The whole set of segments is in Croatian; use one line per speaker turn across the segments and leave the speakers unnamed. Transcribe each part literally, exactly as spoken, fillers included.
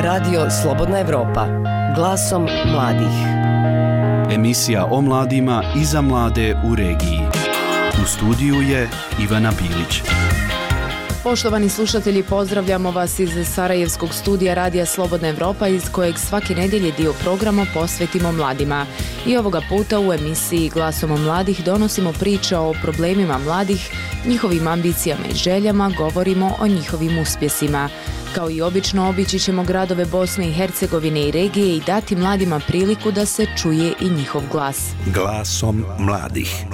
Radio Slobodna Evropa, glasom mladih.
Emisija o mladima i za mlade u regiji. U studiju je Ivana Bilić.
Poštovani slušatelji, pozdravljamo vas iz Sarajevskog studija Radija Slobodna Evropa, iz kojeg svake nedjelje dio programa posvetimo mladima. I ovoga puta u emisiji Glasom mladih donosimo priče o problemima mladih, njihovim ambicijama i željama, govorimo o njihovim uspjesima. Kao i obično, obići ćemo gradove Bosne i Hercegovine i regije i dati mladima priliku da se čuje i njihov glas.
Glasom mladih.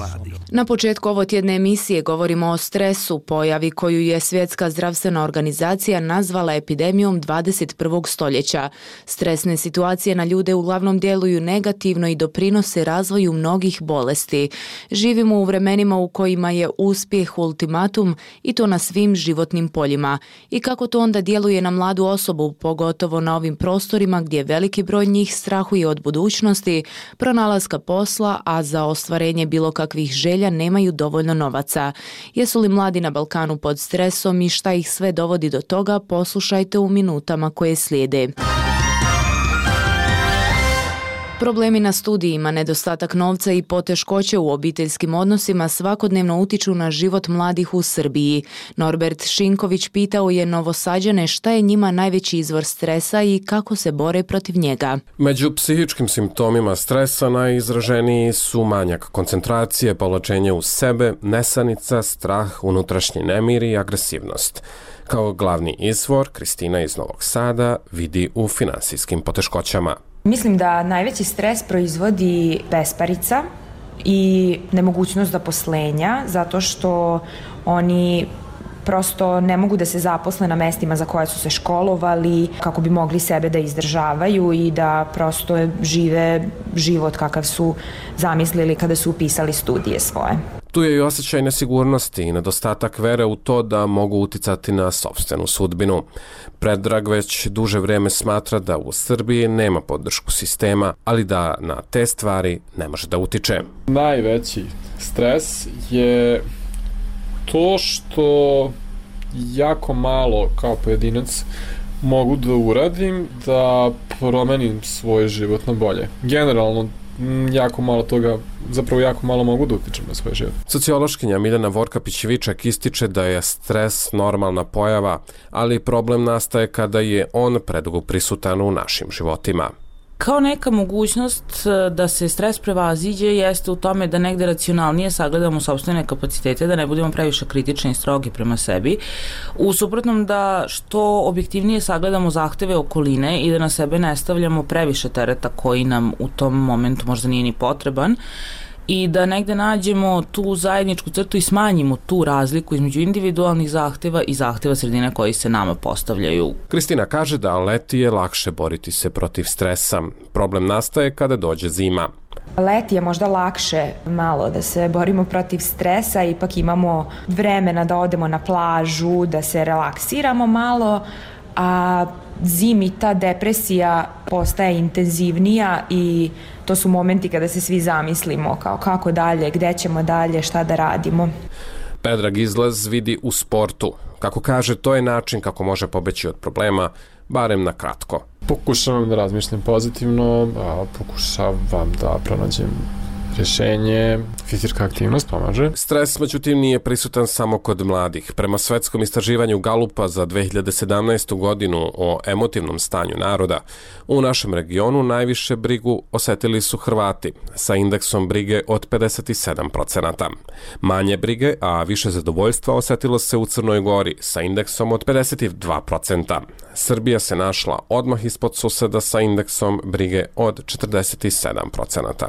Na početku ovotjedne emisije govorimo o stresu, pojavi koju je Svjetska zdravstvena organizacija nazvala epidemijom dvadeset prvog stoljeća. Stresne situacije na ljude uglavnom djeluju negativno i doprinose razvoju mnogih bolesti. Živimo u vremenima u kojima je uspjeh ultimatum i to na svim životnim poljima. I kako to onda djeluje na mladu osobu, pogotovo na ovim prostorima gdje veliki broj njih strahuje od budućnosti, pronalaska posla, a za ostvarenje bilo kakvih želja nemaju dovoljno novaca. Jesu li mladi na Balkanu pod stresom i šta ih sve dovodi do toga, poslušajte u minutama koje slijede. Problemi na studijima, nedostatak novca i poteškoće u obiteljskim odnosima svakodnevno utiču na život mladih u Srbiji. Norbert Šinković pitao je Novosađane šta je njima najveći izvor stresa i kako se bore protiv njega.
Među psihičkim simptomima stresa najizraženiji su manjak koncentracije, povlačenje u sebe, nesanica, strah, unutrašnji nemir i agresivnost. Kao glavni izvor, Kristina iz Novog Sada vidi u finansijskim poteškoćama.
Mislim da najveći stres proizvodi besparica i nemogućnost zaposlenja, zato što oni prosto ne mogu da se zaposle na mestima za koje su se školovali, kako bi mogli sebe da izdržavaju i da prosto žive život kakav su zamislili kada su upisali studije svoje.
Tu je i osjećaj nesigurnosti i nedostatak vere u to da mogu uticati na sopstvenu sudbinu. Predrag već duže vrijeme smatra da u Srbiji nema podršku sistema, ali da na te stvari ne može da utiče.
Najveći stres je to što jako malo kao pojedinac mogu da uradim da promenim svoj život na bolje. Generalno, jako malo toga, zapravo jako malo mogu da utičem na svoj život.
Sociološkinja Miljana Vorkapić-Viček ističe da je stres normalna pojava, ali problem nastaje kada je on predugo prisutan u našim životima.
Kao neka mogućnost da se stres prevaziđe jeste u tome da negde racionalnije sagledamo sopstvene kapacitete, da ne budemo previše kritični i strogi prema sebi. U suprotnom da što objektivnije sagledamo zahteve okoline i da na sebe ne stavljamo previše tereta koji nam u tom momentu možda nije ni potreban, i da negde nađemo tu zajedničku crtu i smanjimo tu razliku između individualnih zahteva i zahteva sredine koji se nama postavljaju.
Kristina kaže da leti je lakše boriti se protiv stresa. Problem nastaje kada dođe zima.
Leti je možda lakše malo da se borimo protiv stresa, ipak imamo vremena da odemo na plažu, da se relaksiramo malo, a zimi ta depresija postaje intenzivnija i to su momenti kada se svi zamislimo kao kako dalje, gde ćemo dalje, šta da radimo.
Predrag izlaz vidi u sportu. Kako kaže, to je način kako može pobeći od problema, barem na kratko.
Pokušavam da razmišljam pozitivno, a pokušavam da pronađem rješenje, fizička aktivnost pomaže.
Stres, međutim, nije prisutan samo kod mladih. Prema svetskom istraživanju Galupa za dve hiljade sedamnaestu. godinu o emotivnom stanju naroda, u našem regionu najviše brigu osetili su Hrvati sa indeksom brige od pedeset sedam procenata. Manje brige, a više zadovoljstva osetilo se u Crnoj Gori sa indeksom od pedeset dva procenta. Srbija se našla odmah ispod suseda sa indeksom brige od četrdeset sedam procenata.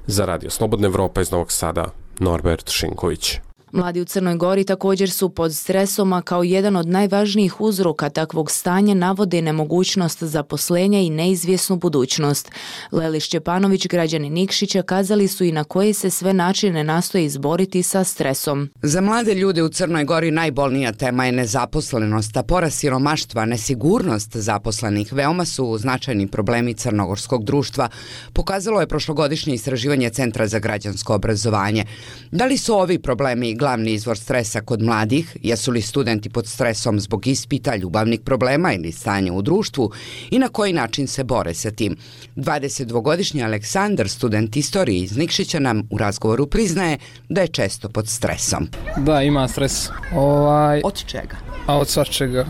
Za Radio Slobodna Evropa iz Novog Sada, Norbert Šinković.
Mladi u Crnoj Gori također su pod stresom, a kao jedan od najvažnijih uzroka takvog stanja navode nemogućnost zaposlenja i neizvjesnu budućnost. Leli Šćepanović, građani Nikšića, kazali su i na koje se sve načine nastoje izboriti sa stresom.
Za mlade ljude u Crnoj Gori najbolnija tema je nezaposlenost, a porast siromaštva, nesigurnost zaposlenih veoma su značajni problemi crnogorskog društva, pokazalo je prošlogodišnje istraživanje Centra za građansko obrazovanje. Da li su ovi problemi glavni izvor stresa kod mladih? Jesu li studenti pod stresom zbog ispita, ljubavnih problema ili stanja u društvu i na koji način se bore sa tim? dvadesetdvogodišnji Aleksandar, student istorije iz Nikšića, nam u razgovoru priznaje da je često pod stresom.
Da, ima stres. Ovaj...
Od čega?
A od svačega.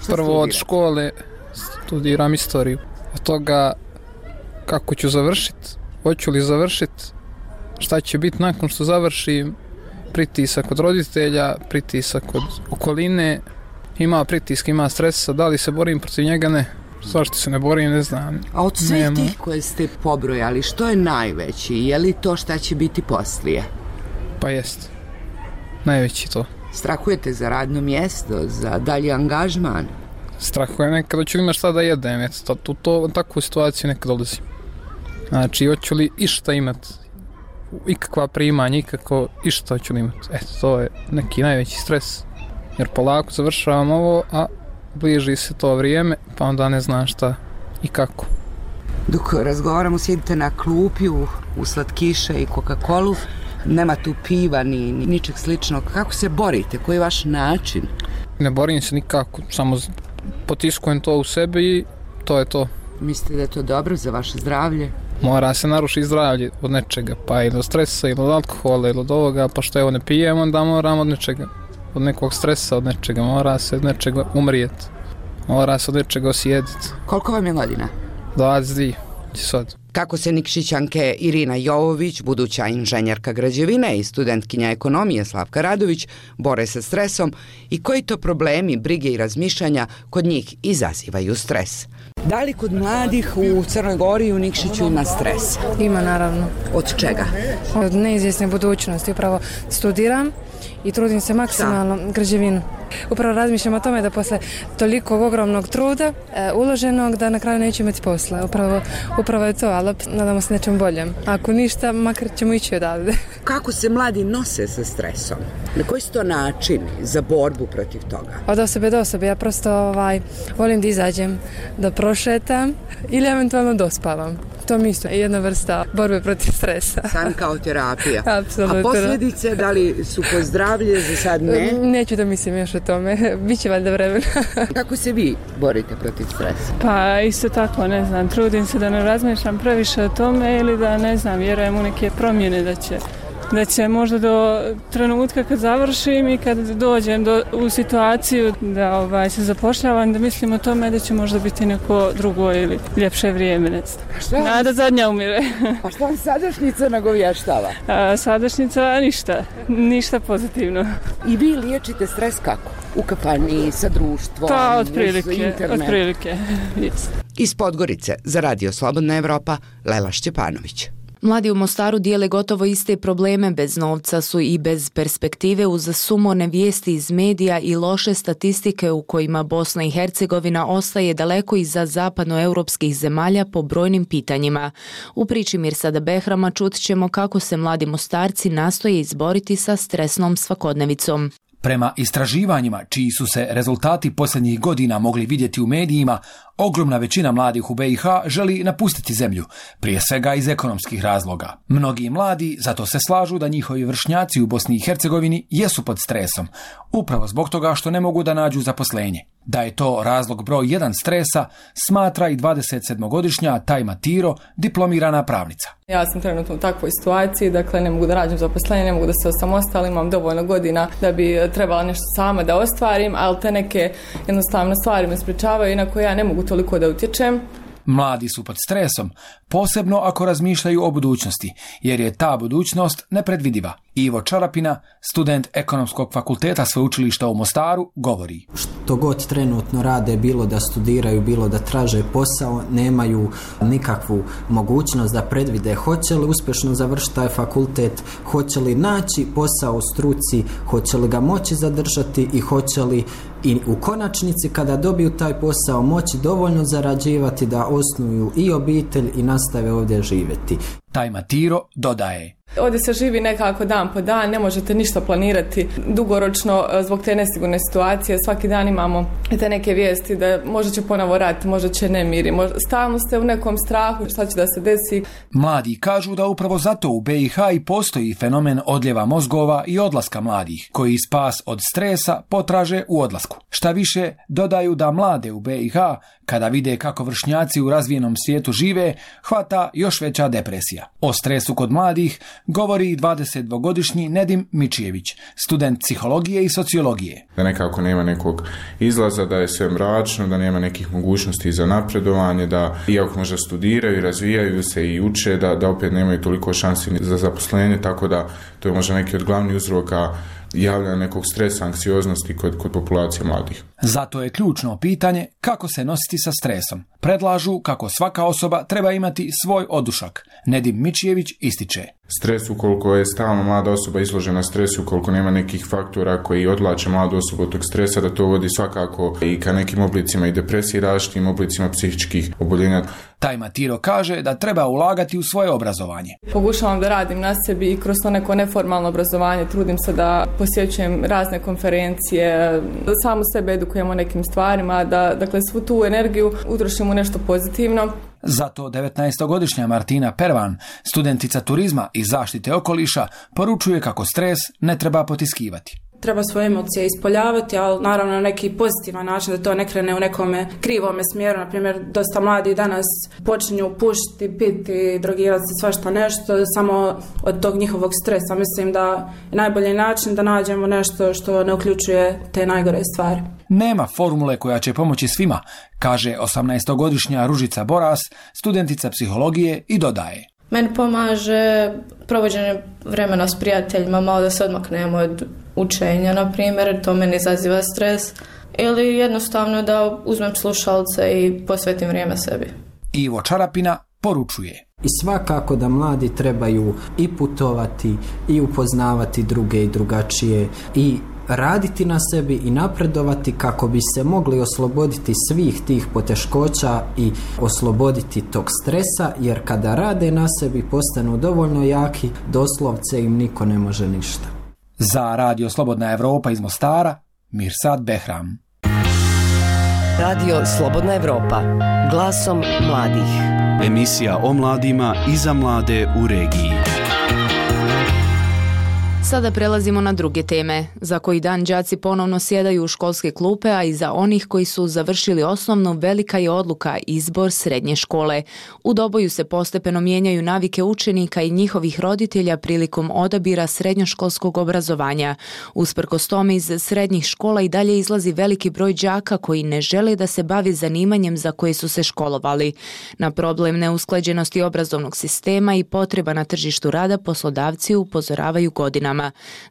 Prvo od škole studiram istoriju. Od toga kako ću završiti, hoću li završiti, šta će biti nakon što završim, pritisak od roditelja, pritisak od okoline, ima pritiska, ima stresa, da li se borim protiv njega, ne. Zašto se ne borim, ne znam.
A od svih tih koje ste pobrojali, što je najveći? Je li to šta će biti poslije?
Pa jest. Najveći to.
Strahujete za radno mjesto, za dalji angažman?
Strahujem nekada ću imati šta da jedem, eto, tu to, u takvu situaciju nekad dolazim. Znači, hoću li išta imati, ikakva primanja, ikako išta hoću li imati. Eto, to je neki najveći stres, jer polako završavam ovo, a bliži se to vrijeme, pa onda ne znam šta i kako.
Dok razgovaramo, sjedite na klupi u, u slatkiše i Coca-Colu, nema tu piva ni, ni ničeg sličnog. Kako se borite? Koji je vaš način?
Ne borim se nikako, samo potiskujem to u sebi i to je to.
Mislite da je to dobro za vaše zdravlje?
Mora se narušiti zdravlje od nečega, pa ili od stresa, ili od alkohola, ili od ovoga, pa što evo ne pijem, onda moram od nečega, od nekog stresa, od nečega, mora se od nečega umrijeti, mora se od nečega osjetiti.
Koliko vam je godina?
dvadeset dvije, sad.
Kako se Nikšićanke Irina Jovović, buduća inženjerka građevine i studentkinja ekonomije Slavka Radović, bore sa stresom i koji to problemi, brige i razmišljanja kod njih izazivaju stres? Da li kod mladih u Crnoj Gori i u Nikšiću ima stres?
Ima, naravno.
Od čega?
Od neizvjesne budućnosti. Upravo studiram i trudim se maksimalno građevinu. Upravo razmišljam o tome da posle toliko ogromnog truda e, uloženog da na kraju neću imati posla. Upravo, upravo je to, ali nadamo se nečem boljem. Ako ništa, makar ćemo ići odavde.
Kako se mladi nose sa stresom? Na koji su to načini za borbu protiv toga?
Od osobe do osobe. Ja prosto ovaj, volim da izađem, da prošetam ili eventualno dospavam. To mi isto je jedna vrsta borbe protiv stresa.
San kao terapija.
Apsolutno.
A posljedice, da li su po zdravlje, za sad ne?
Neću da mislim još o tome. Biće valjda vremena.
Kako se vi borite protiv stresa?
Pa isto tako, ne znam, trudim se da ne razmišljam previše o tome ili da, ne znam, vjerujem u neke promjene da će da će možda do trenutka kad završim i kad dođem do, u situaciju da ovaj, se zapošljavam, da mislim o tome da će možda biti neko drugo ili ljepše vrijeme, ne znam. Nada zadnja umire.
A što vam sadašnjica nagovještava?
A, sadašnjica ništa, ništa pozitivno.
I vi liječite stres kako? U kafani, sa društvom,
pa, otprilike,
internet?
Otprilike, yes.
Iz Podgorice za Radio Slobodna Evropa, Lela Šćepanović.
Mladi u Mostaru dijele gotovo iste probleme, bez novca su i bez perspektive uz sumorne vijesti iz medija i loše statistike u kojima Bosna i Hercegovina ostaje daleko iza zapadnoeuropskih zemalja po brojnim pitanjima. U priči Mirsada Behrama čut ćemo kako se mladi Mostarci nastoje izboriti sa stresnom svakodnevicom.
Prema istraživanjima, čiji su se rezultati posljednjih godina mogli vidjeti u medijima, ogromna većina mladih u be i ha želi napustiti zemlju, prije svega iz ekonomskih razloga. Mnogi mladi zato se slažu da njihovi vršnjaci u Bosni i Hercegovini jesu pod stresom, upravo zbog toga što ne mogu da nađu zaposlenje. Da je to razlog broj jedan stresa, smatra i dvadesetsedmogodišnja Tajma Tiro, diplomirana pravnica.
Ja sam trenutno u takvoj situaciji, dakle ne mogu da rađem zaposlenje, ne mogu da se osamostalim, imam dovoljno godina da bi trebala nešto sama da ostvarim, ali te neke jednostavno stvari me sprečavaju i na koje ja ne mogu toliko da utječem.
Mladi su pod stresom, posebno ako razmišljaju o budućnosti, jer je ta budućnost nepredvidiva. Ivo Čarapina, student ekonomskog fakulteta sveučilišta u Mostaru, govori.
Što god trenutno rade, bilo da studiraju, bilo da traže posao, nemaju nikakvu mogućnost da predvide hoće li uspješno završiti taj fakultet, hoće li naći posao u struci, hoće li ga moći zadržati i hoće li i u konačnici kada dobiju taj posao moći dovoljno zarađivati da osnuju i obitelj i nastave ovdje živjeti.
Tajma Tiro dodaje.
Ovdje se živi nekako dan po dan, ne možete ništa planirati dugoročno zbog te nesigurne situacije. Svaki dan imamo te neke vijesti da možda će ponovo rat, možda će nemiri, možda stalno ste u nekom strahu šta će da se desi.
Mladi kažu da upravo zato u be i ha i postoji fenomen odljeva mozgova i odlaska mladih, koji spas od stresa potraže u odlasku. Šta više, dodaju da mlade u be i ha, kada vide kako vršnjaci u razvijenom svijetu žive, hvata još veća depresija. O stresu kod mladih govori dvadesetdvogodišnji Nedim Mičijević, student psihologije i sociologije.
Da nekako nema nekog izlaza, da je sve mračno, da nema nekih mogućnosti za napredovanje, da iako možda studiraju, razvijaju se i uče, da, da opet nemaju toliko šansi za zaposlenje, tako da to je možda neki od glavnih uzroka javljanja nekog stresa, anksioznosti kod, kod populacije mladih.
Zato je ključno pitanje kako se nositi sa stresom. Predlažu kako svaka osoba treba imati svoj odušak. Nedim Mičijević ističe.
Stres, ukoliko je stalno mlada osoba izložena stresu, ukoliko nema nekih faktora koji odvlače mladu osobu od tog stresa, da to vodi svakako i ka nekim oblicima i depresiji, različitim oblicima psihičkih oboljenja.
Taj Matiro kaže da treba ulagati u svoje obrazovanje.
Pokušavam da radim na sebi i kroz to neko neformalno obrazovanje trudim se da posjećujem razne konferencije, da samu sebe edukujem o nekim stvarima, da dakle svu tu energiju utrošim u nešto pozitivno.
Zato devetnaestogodišnja Martina Pervan, studentica turizma i zaštite okoliša, poručuje kako stres ne treba potiskivati.
Treba svoje emocije ispoljavati, ali naravno na neki pozitivan način, da to ne krene u nekome krivome smjeru. Naprimjer, dosta mladi danas počinju pušiti, piti, drogirati se, svašta nešto, samo od tog njihovog stresa. Mislim da je najbolji način da nađemo nešto što ne uključuje te najgore stvari.
Nema formule koja će pomoći svima, kaže osamnaestogodišnja Ružica Boras, studentica psihologije i dodaje.
Meni pomaže provođenje vremena s prijateljima, malo da se odmaknemo od učenja, na primjer, to meni izaziva stres, ili jednostavno da uzmem slušalce i posvetim vrijeme sebi.
Ivo Čarapina poručuje.
I svakako da mladi trebaju i putovati, i upoznavati druge i drugačije, i raditi na sebi i napredovati kako bi se mogli osloboditi svih tih poteškoća i osloboditi tog stresa, jer kada rade na sebi postanu dovoljno jaki, doslovce im niko ne može ništa.
Za Radio Slobodna Evropa iz Mostara, Mirsad Behram.
Radio Slobodna Evropa, glasom mladih.
Emisija o mladima i za mlade u regiji.
Sada prelazimo na druge teme. Za koji dan đaci ponovno sjedaju u školske klupe, a i za onih koji su završili osnovnu velika je odluka izbor srednje škole. U Doboju se postepeno mijenjaju navike učenika i njihovih roditelja prilikom odabira srednjoškolskog obrazovanja. Usprkos tome iz srednjih škola i dalje izlazi veliki broj đaka koji ne žele da se bavi zanimanjem za koje su se školovali. Na problem neusklađenosti obrazovnog sistema i potreba na tržištu rada poslodavci upozoravaju godinama.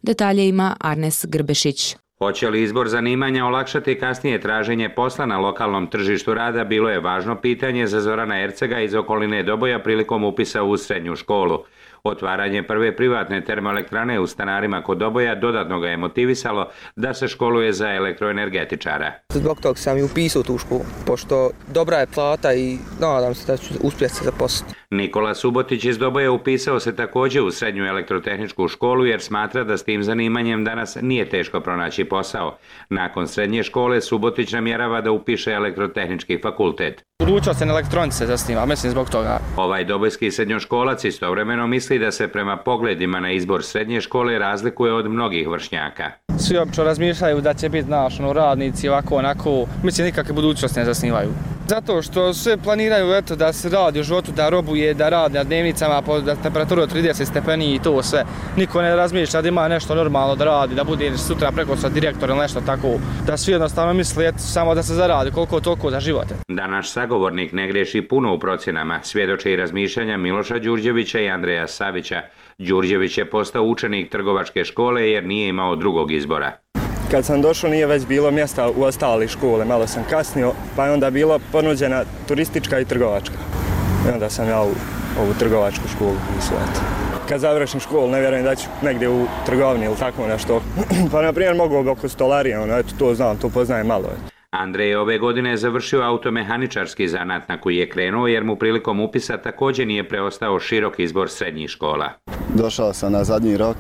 Detalje ima Arnes Grbešić.
Hoće li izbor zanimanja olakšati kasnije traženje posla na lokalnom tržištu rada, bilo je važno pitanje za Zorana Ercega iz okoline Doboja prilikom upisa u srednju školu. Otvaranje prve privatne termoelektrane u Stanarima kod Doboja dodatno ga je motivisalo da se školuje za elektroenergetičara.
Zbog toga sam i upisao tu školu, pošto dobra je plata i nadam se da ću uspjeti se zaposliti.
Nikola Subotić iz Doboja upisao se također u srednju elektrotehničku školu jer smatra da s tim zanimanjem danas nije teško pronaći posao. Nakon srednje škole Subotić namjerava da upiše elektrotehnički fakultet.
Budućnost se na elektronici zasniva, mislim zbog toga.
Ovaj dobojski srednjoškolac istovremeno misli da se prema pogledima na izbor srednje škole razlikuje od mnogih vršnjaka.
Svi obično razmišljaju da će biti naš, ono, radnici ovako, onako, mislim nikakve budućnosti ne zasnivaju. Zato što sve planiraju eto, da se radi u životu, da robuje, da radi na dnevnicama po temperaturu od trideset stepeni i to sve. Niko ne razmišlja da ima nešto normalno da radi, da bude sutra preko sa direktor ili nešto tako. Da svi jednostavno misle eto, samo da se zaradi koliko toliko za živote.
Da naš sagovornik ne greši puno u procjenama, svjedoče i razmišljanja Miloša Đurđevića i Andreja Savića. Đurđević je postao učenik trgovačke škole jer nije imao drugog izbora.
Kad sam došao nije već bilo mjesta u ostali škole, malo sam kasnio, pa je onda bila ponuđena turistička i trgovačka. I onda sam ja u ovu trgovačku školu upisao. Kad završim školu ne vjerujem da ću negdje u trgovini ili tako nešto. Pa na primjer mogu oko stolarije, ono, eto to znam, to poznajem malo. Eto.
Andrej je ove godine završio automehaničarski zanat na koji je krenuo jer mu prilikom upisa također nije preostao širok izbor srednjih škola.
Došao sam na zadnji rok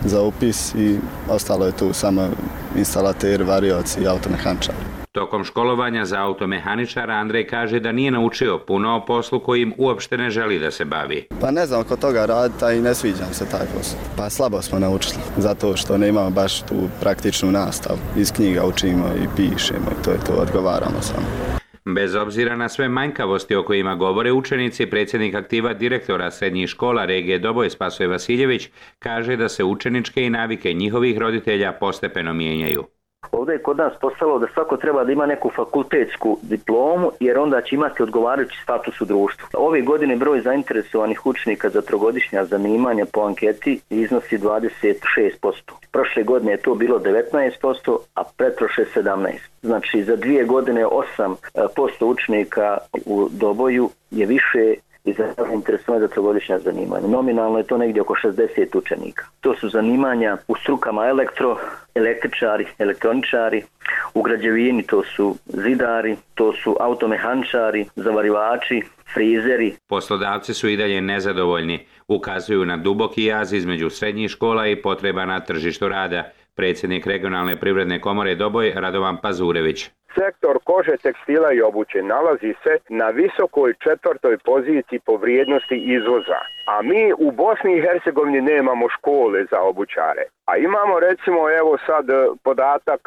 za upis i ostalo je tu samo instalater, varioci i automehaničar.
Tokom školovanja za automehaničara Andrej kaže da nije naučio puno o poslu kojim uopšte ne želi da se bavi.
Pa ne znam oko toga raditi, a i ne sviđam se taj posao. Pa slabo smo naučili, zato što ne imamo baš tu praktičnu nastavu. Iz knjiga učimo i pišemo i to je to, odgovaramo samo.
Bez obzira na sve manjkavosti o kojima govore učenici, predsjednik aktiva direktora srednjih škola regije Doboj Spasoje Vasiljević kaže da se učeničke i navike njihovih roditelja postepeno mijenjaju.
Ovdje je kod nas postalo da svako treba da ima neku fakultetsku diplomu jer onda će imati odgovarajući status u društvu. Ove godine broj zainteresovanih učenika za trogodišnja zanimanja po anketi iznosi dvadeset šest posto. Prošle godine je to bilo devetnaest posto, a pretprošle sedamnaest posto. Znači za dvije godine osam posto učenika u Doboju je više i zainteresovani za trogodišnja zanimanja. Nominalno je to negdje oko šezdeset učenika. To su zanimanja u strukama elektro, električari, elektroničari, u građevini to su zidari, to su automehaničari, zavarivači, frizeri.
Poslodavci su i dalje nezadovoljni, ukazuju na duboki jaz između srednjih škola i potreba na tržištu rada. Predsjednik regionalne privredne komore Doboj Radovan Pazurević.
Sektor kože, tekstila i obuće nalazi se na visokoj četvrtoj poziciji po vrijednosti izvoza. A mi u Bosni i Hercegovini nemamo škole za obućare. A imamo recimo evo sad podatak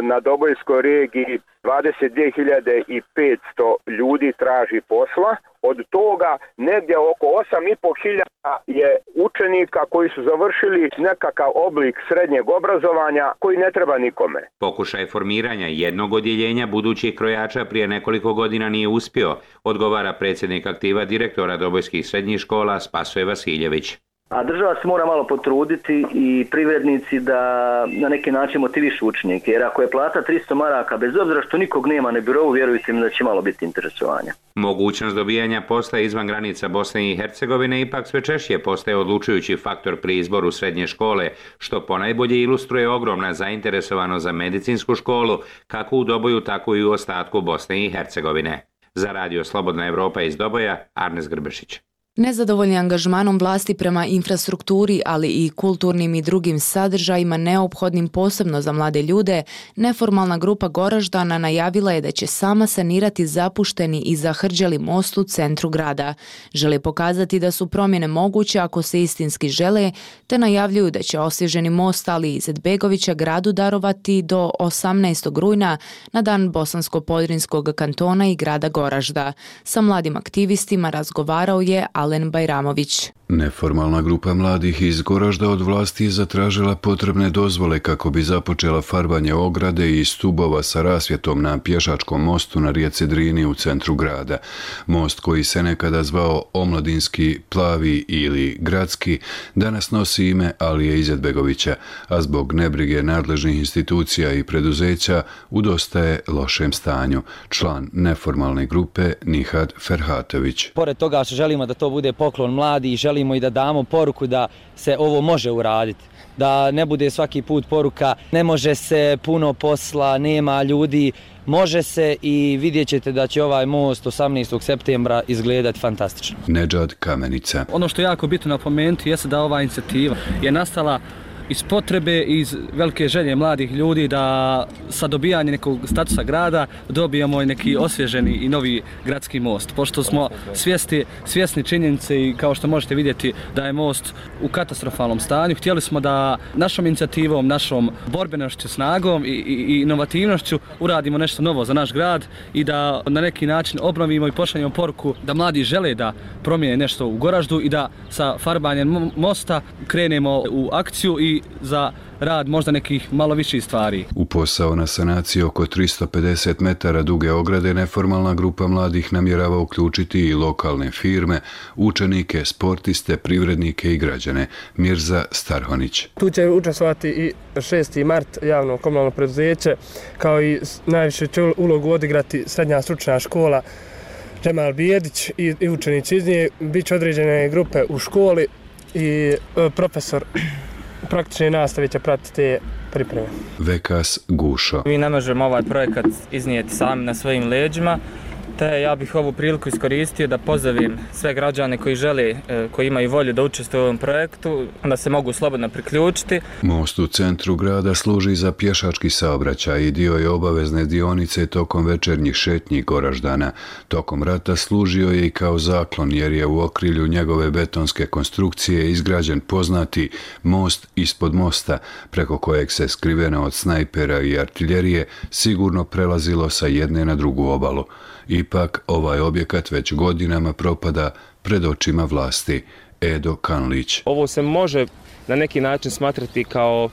na Dobojskoj regiji dvadeset dvije hiljade petsto ljudi traži posla. Od toga negdje oko osam i po hiljada je učenika koji su završili nekakav oblik srednjeg obrazovanja koji ne treba nikome.
Pokušaj formiranja jednog odjeljenja budućih krojača prije nekoliko godina nije uspio, odgovara predsjednik aktiva direktora Dobojskih srednjih škola Spasoje Vasiljević.
A država se mora malo potruditi i privrednici da na neki način motivišu učenike, jer ako je plata tristo maraka, bez obzira što nikog nema na birovu, vjerujte mi da će malo biti interesovanja.
Mogućnost dobijanja posla izvan granica Bosne i Hercegovine ipak sve češće postaje odlučujući faktor pri izboru srednje škole, što ponajbolje ilustruje ogromna zainteresovanost za medicinsku školu, kako u Doboju, tako i u ostatku Bosne i Hercegovine. Za radio Slobodna Evropa iz Doboja, Arnes Grbešić.
Nezadovoljni angažmanom vlasti prema infrastrukturi, ali i kulturnim i drugim sadržajima neophodnim posebno za mlade ljude, neformalna grupa Goraždana najavila je da će sama sanirati zapušteni i zahrđali most u centru grada. Žele pokazati da su promjene moguće ako se istinski žele, te najavljuju da će osvježeni most Ali Izetbegovića gradu darovati do osamnaestog rujna na dan Bosansko-Podrinskog kantona i grada Goražda. Sa mladim aktivistima razgovarao je Alen Bajramović.
Neformalna grupa mladih iz Goražda od vlasti je zatražila potrebne dozvole kako bi započela farbanje ograde i stubova sa rasvjetom na pješačkom mostu na rijeci Drini u centru grada. Most koji se nekada zvao Omladinski, Plavi ili Gradski danas nosi ime Alije Izetbegovića, a zbog nebrige nadležnih institucija i preduzeća u dosta je lošem stanju. Član neformalne grupe Nihad Ferhatović.
Pored toga što želimo da to bude poklon mladi i želimo i da damo poruku da se ovo može uraditi. Da ne bude svaki put poruka ne može se, puno posla, nema ljudi. Može se i vidjet ćete da će ovaj most osamnaestog septembra izgledati fantastično.
Nedžad Kamenica.
Ono što je jako bitno napomenuti jeste da ova inicijativa je nastala iz potrebe, iz velike želje mladih ljudi da sa dobijanjem nekog statusa grada dobijemo i neki osvježeni i novi gradski most. Pošto smo svjesni, svjesni činjenice i kao što možete vidjeti da je most u katastrofalnom stanju, htjeli smo da našom inicijativom, našom borbenošću, snagom i, i, i inovativnošću uradimo nešto novo za naš grad i da na neki način obnovimo i pošaljemo poruku da mladi žele da promijene nešto u Goraždu i da sa farbanjem mosta krenemo u akciju i za rad možda nekih malo viših stvari.
U posao na sanaciji oko tristo pedeset metara duge ograde neformalna grupa mladih namjerava uključiti i lokalne firme, učenike, sportiste, privrednike i građane. Mirza Starhonić.
Tu će učestvovati i šesti mart javno komunalno preduzeće, kao i najviše će ulogu odigrati srednja stručna škola Džemal Bijedić i, i učenici iz nje. Biće određene grupe u školi i e, profesor praktične nastave će pratiti te pripreme.
Vekas Gušo.
Mi ne možemo ovaj projekat iznijeti sami na svojim leđima, te ja bih ovu priliku iskoristio da pozovem sve građane koji žele, koji imaju volju da učestvuju u ovom projektu, da se mogu slobodno priključiti.
Most u centru grada služi za pješački saobraćaj i dio je obavezne dionice tokom večernjih šetnji Goraždana. Tokom rata služio je i kao zaklon jer je u okrilju njegove betonske konstrukcije izgrađen poznati most ispod mosta, preko kojeg se skriveno od snajpera i artiljerije sigurno prelazilo sa jedne na drugu obalu. Ipak, ovaj objekat već godinama propada pred očima vlasti. Edo Kanlić.
Ovo se može na neki način smatrati kao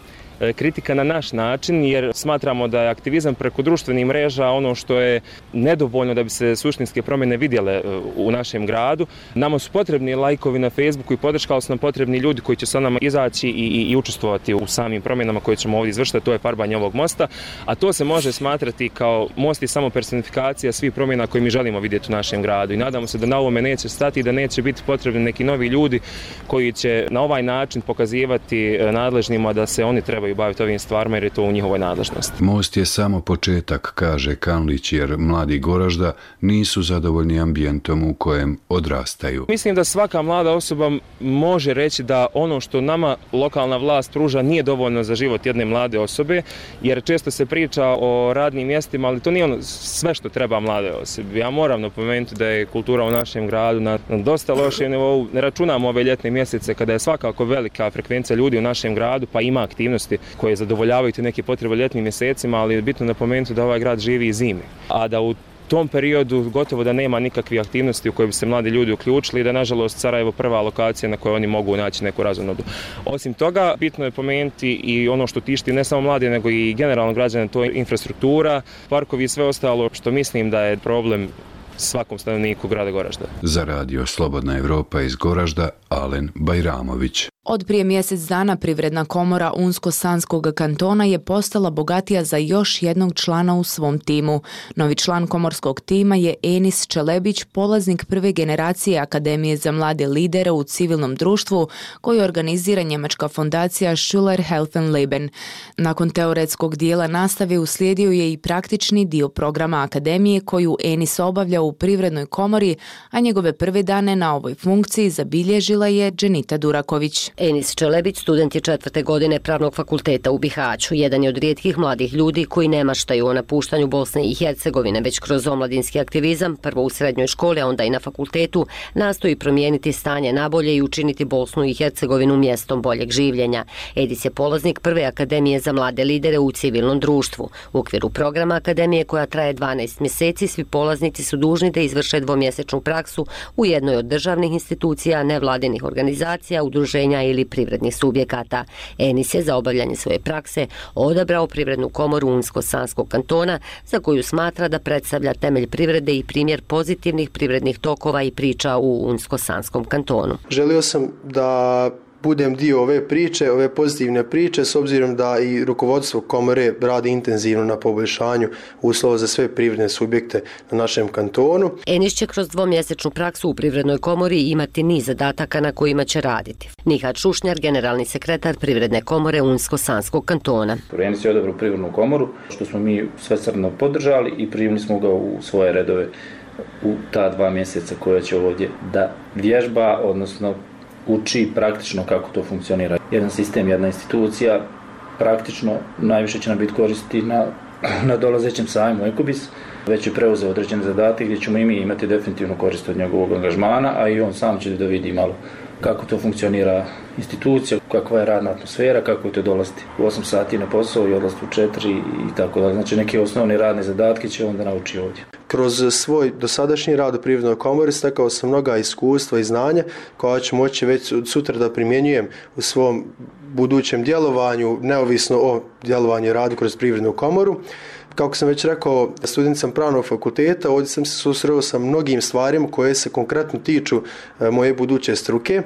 kritika na naš način, jer smatramo da je aktivizam preko društvenih mreža ono što je nedovoljno da bi se suštinske promjene vidjele u našem gradu. Nama su potrebni lajkovi na Facebooku i podrška, ali su nam potrebni ljudi koji će sa nama izaći i, i, i učestvovati u samim promjenama koje ćemo ovdje izvršiti, to je farbanje ovog mosta, a to se može smatrati kao most i samo personifikacija svih promjena koje mi želimo vidjeti u našem gradu i nadamo se da na ovome neće stati i da neće biti potrebni neki novi ljudi koji će na ovaj način pokazivati nadležnima da se oni trebaju baviti ovim stvarima jer je to u njihovoj nadležnosti.
Most je samo početak, kaže Kanlić, jer mladi Goražda nisu zadovoljni ambijentom u kojem odrastaju.
Mislim da svaka mlada osoba može reći da ono što nama lokalna vlast pruža nije dovoljno za život jedne mlade osobe, jer često se priča o radnim mjestima, ali to nije ono sve što treba mlade osobe. Ja moram napomenuti da je kultura u našem gradu na dosta lošem nivou. Ne računamo ove ljetne mjesece kada je svakako velika frekvencija ljudi u našem gradu, pa ima aktivnosti koje zadovoljavaju te neke potrebe ljetnim mjesecima, ali je bitno napomenuti da ovaj grad živi i zimi. A da u tom periodu gotovo da nema nikakvih aktivnosti u koje bi se mladi ljudi uključili i da nažalost Sarajevo prva lokacija na kojoj oni mogu naći neku razonodu. Osim toga, bitno je pomenuti i ono što tišti ne samo mladi, nego i generalno građane, to je infrastruktura, parkovi i sve ostalo, što mislim da je problem svakom stanovniku grada Goražda.
Za radio Slobodna Evropa iz Goražda, Alen Bajramović.
Od prije mjesec dana Privredna komora Unsko-Sanskog kantona je postala bogatija za još jednog člana u svom timu. Novi član komorskog tima je Enis Čelebić, polaznik prve generacije Akademije za mlade lidere u civilnom društvu koju organizira njemačka fondacija Schüler helfen Leben. Nakon teoretskog dijela nastave uslijedio je i praktični dio programa Akademije koju Enis obavlja u Privrednoj komori, a njegove prve dane na ovoj funkciji zabilježila je Dženita Duraković.
Enis Čelebić student je četvrte godine Pravnog fakulteta u Bihaću. Jedan je od rijetkih mladih ljudi koji ne maštaju o napuštanju Bosne i Hercegovine, već kroz omladinski aktivizam, prvo u srednjoj školi, a onda i na fakultetu, nastoji promijeniti stanje nabolje i učiniti Bosnu i Hercegovinu mjestom boljeg življenja. Edis je polaznik prve Akademije za mlade lidere u civilnom društvu. U okviru programa Akademije koja traje dvanaest mjeseci, svi polaznici su dužni da izvrše dvomjesečnu praksu u jednoj od državnih institucija, nevladinih organizacija, udruženja ili privrednih subjekata. Enis je za obavljanje svoje prakse odabrao Privrednu komoru Unsko-Sanskog kantona, za koju smatra da predstavlja temelj privrede i primjer pozitivnih privrednih tokova i priča u Unsko-Sanskom kantonu.
Želio sam da budem dio ove priče, ove pozitivne priče, s obzirom da i rukovodstvo komore radi intenzivno na poboljšanju uslova za sve privredne subjekte na našem kantonu.
Enis će kroz dvomjesečnu praksu u Privrednoj komori imati niz zadataka na kojima će raditi. Nihat Šušnjar, generalni sekretar Privredne komore Unsko-Sanskog kantona.
Enis je odabrao Privrednu komoru, što smo mi svesrdno podržali i primili smo ga u svoje redove u ta dva mjeseca koja će ovdje da vježba, odnosno uči praktično kako to funkcionira. Jedan sistem, jedna institucija, praktično najviše će nam biti koristi na, na dolazećem sajmu Ekobis. Već je preuzeo određene zadatke gdje ćemo i mi imati definitivno korist od njegovog angažmana, a i on sam će da vidi malo kako to funkcionira institucija, kakva je radna atmosfera, kako je to dolaziti u osam sati na posao i odlaziti u četiri i tako da. Znači neke osnovne radne zadatke će onda nauči ovdje.
Kroz svoj dosadašnji rad u Privrednoj komori stekao sam mnoga iskustva i znanja koja ću moći već sutra da primjenjujem u svom budućem djelovanju, neovisno o djelovanju i radu kroz Privrednu komoru. Kako sam već rekao, student sam Pravnog fakulteta, ovdje sam se susreo sa mnogim stvarima koje se konkretno tiču moje buduće struke,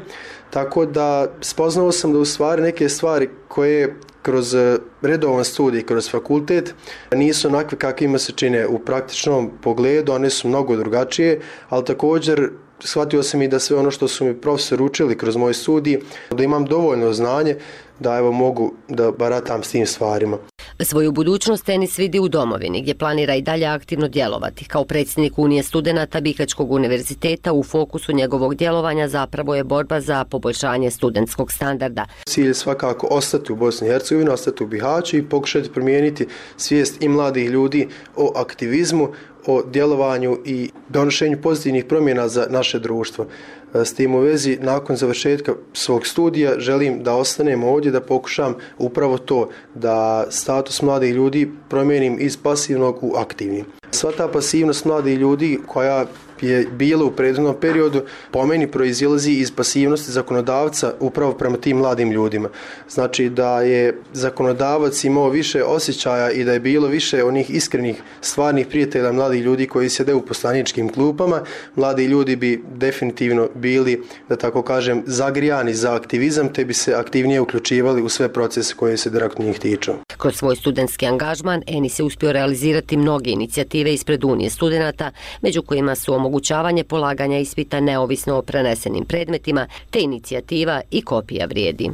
tako da spoznao sam da u stvari neke stvari koje kroz redovan studij, kroz fakultet, nisu onakve kakvima se čine u praktičnom pogledu, one su mnogo drugačije, ali također shvatio sam i da sve ono što su mi profesori učili kroz moj studij, da imam dovoljno znanje da evo mogu da baratam s tim stvarima.
Svoju budućnost tenis vidi u domovini, gdje planira i dalje aktivno djelovati. Kao predsjednik Unije studenata Bihaćkog univerziteta u fokusu njegovog djelovanja zapravo je borba za poboljšanje studentskog standarda.
Cilj je svakako ostati u Bosni i Hercegovini, ostati u Bihaću i pokušati promijeniti svijest i mladih ljudi o aktivizmu, o djelovanju i donošenju pozitivnih promjena za naše društvo. S tim u vezi, nakon završetka svog studija, želim da ostanem ovdje, da pokušam upravo to, da status mladih ljudi promijenim iz pasivnog u aktivni. Sva ta pasivnost mladih ljudi koja je bila u prethodnom periodu, po meni proizilazi iz pasivnosti zakonodavca upravo prema tim mladim ljudima. Znači da je zakonodavac imao više osjećaja i da je bilo više onih iskrenih, stvarnih prijatelja mladih ljudi koji sjede u poslaničkim klupama, mladi ljudi bi definitivno bili, da tako kažem, zagrijani za aktivizam, te bi se aktivnije uključivali u sve procese koje se direktno njih tiču.
Kroz svoj studentski angažman Enis je uspio realizirati mnoge inicijative ispred Unije studenata, među kojima su omogućavanje polaganja ispita neovisno o prenesenim predmetima, te inicijativa i kopija vrijedi.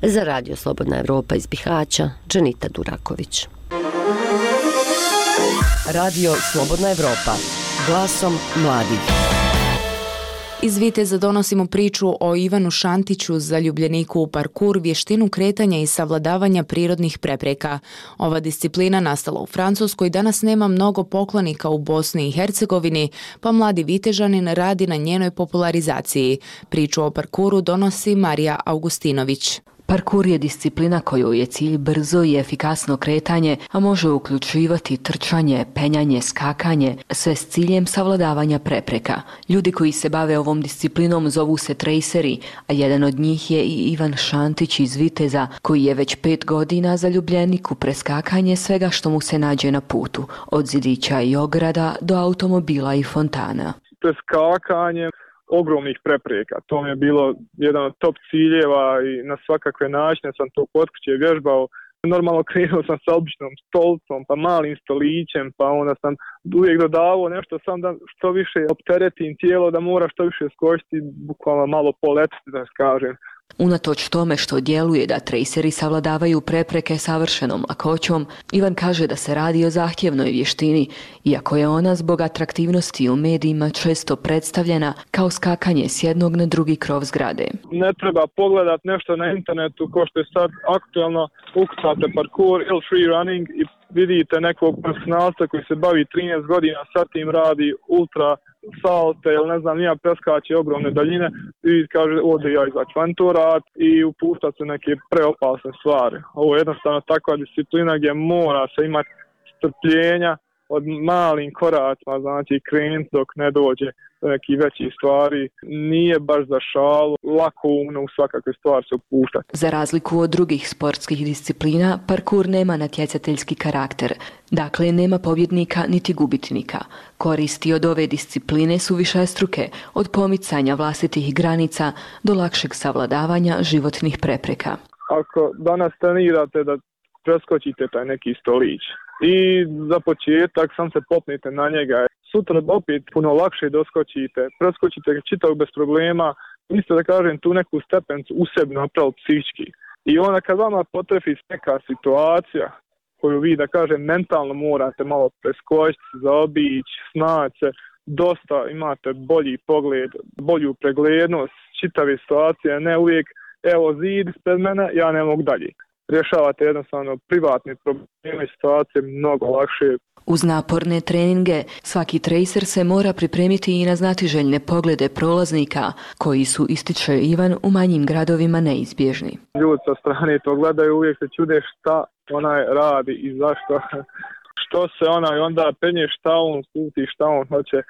Za Radio Slobodna Evropa iz Bihaća, Dženita Duraković.
Radio Slobodna Evropa, glasom mladih.
Iz Viteza donosimo priču o Ivanu Šantiću, zaljubljeniku u parkur, vještinu kretanja i savladavanja prirodnih prepreka. Ova disciplina nastala u Francuskoj danas nema mnogo poklonika u Bosni i Hercegovini, pa mladi Vitežanin radi na njenoj popularizaciji. Priču o parkuru donosi Marija Augustinović.
Parkur je disciplina kojoj je cilj brzo i efikasno kretanje, a može uključivati trčanje, penjanje, skakanje, sve s ciljem savladavanja prepreka. Ljudi koji se bave ovom disciplinom zovu se trejseri, a jedan od njih je i Ivan Šantić iz Viteza, koji je već pet godina zaljubljenik u preskakanje svega što mu se nađe na putu, od zidića i ograda do automobila i fontana.
Preskakanje ogromnih prepreka. To mi je bilo jedan od top ciljeva i na svakakve načine sam to kod kuće vježbao. Normalno krenuo sam sa običnom stolcom, pa malim stolićem, pa onda sam uvijek dodavao nešto sam da što više opteretim tijelo, da mora što više skočiti, bukvalno malo poletiti, da kažem.
Unatoč tome što djeluje da trejseri savladavaju prepreke savršenom lakoćom, Ivan kaže da se radi o zahtjevnoj vještini, iako je ona zbog atraktivnosti u medijima često predstavljena kao skakanje s jednog na drugi krov zgrade.
Ne treba pogledat nešto na internetu ko što je sad aktualno, ukucate parkour ili free running i vidite nekog profesionalca koji se bavi trinaest godina, sad tim radi ultra salte ili ne znam, nija preskače ogromne daljine i kaže ovdje ja izaći van to rad i upuštati se neke preopasne stvari. Ovo je jednostavno takva disciplina gdje mora se imati strpljenja od malim koracima, znači krenuti dok ne dođe do nekih većih stvari. Nije baš za šalu, lako umno u svakakve stvari se upuštati.
Za razliku od drugih sportskih disciplina, parkur nema natjecateljski karakter. Dakle, nema pobjednika niti gubitnika. Koristi od ove discipline su višestruke, od pomicanja vlastitih granica do lakšeg savladavanja životnih prepreka.
Ako danas trenirate da preskočite taj neki stolić i za početak sam se popnite na njega, sutra opet puno lakše doskočite, preskočite čitav bez problema, isto da kažem tu neku stepencu u sebi napraviti psihički. I onda kad vama potrefi neka situacija koju vi, da kažem, mentalno morate malo preskočiti, zaobići, snaći se, dosta imate bolji pogled, bolju preglednost čitave situacije, ne uvijek evo zid ispred mene, ja ne mogu dalje. Rješavate jednostavno privatne probleme i situacije mnogo lakše.
Uz naporne treninge, svaki trejser se mora pripremiti i na znatiželjne poglede prolaznika, koji su, ističe Ivan, u manjim gradovima neizbježni.
Ljudi sa strane to gledaju, uvijek se čude šta onaj radi i zašto, što se onaj onda penje, šta on puti, šta on hoće.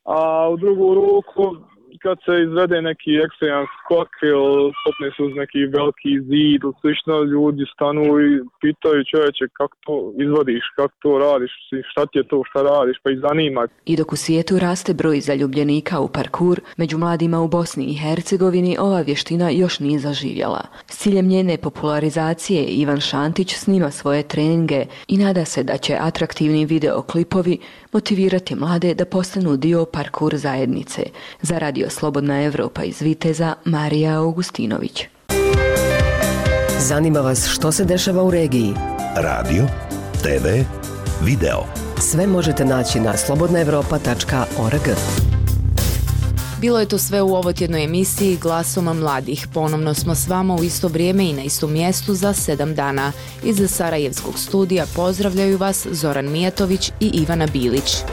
A u drugu ruku kad se izvede neki ekstreman skok ili popne se uz neki veliki zid ili slično, ljudi stanu i pitaju čovječe kako to izvodiš, kako to radiš, šta ti je to, šta radiš, pa ih zanima.
I dok u svijetu raste broj zaljubljenika u parkur, među mladima u Bosni i Hercegovini ova vještina još nije zaživjela. S ciljem njene popularizacije Ivan Šantić snima svoje treninge i nada se da će atraktivni videoklipovi motivirati mlade da postanu dio parkur zajednice. Za radio Slobodna Evropa iz Viteza, Marija Augustinović.
Zanima vas što se dešava u regiji?
Radio, te ve, video.
Sve možete naći na slobodna evropa tačka org.
Bilo je to sve u ovotjednoj emisiji Glasom mladih. Ponovno smo s vama u isto vrijeme i na istom mjestu za sedam dana. Iz Sarajevskog studija pozdravljaju vas Zoran Mijatović i Ivana Bilić.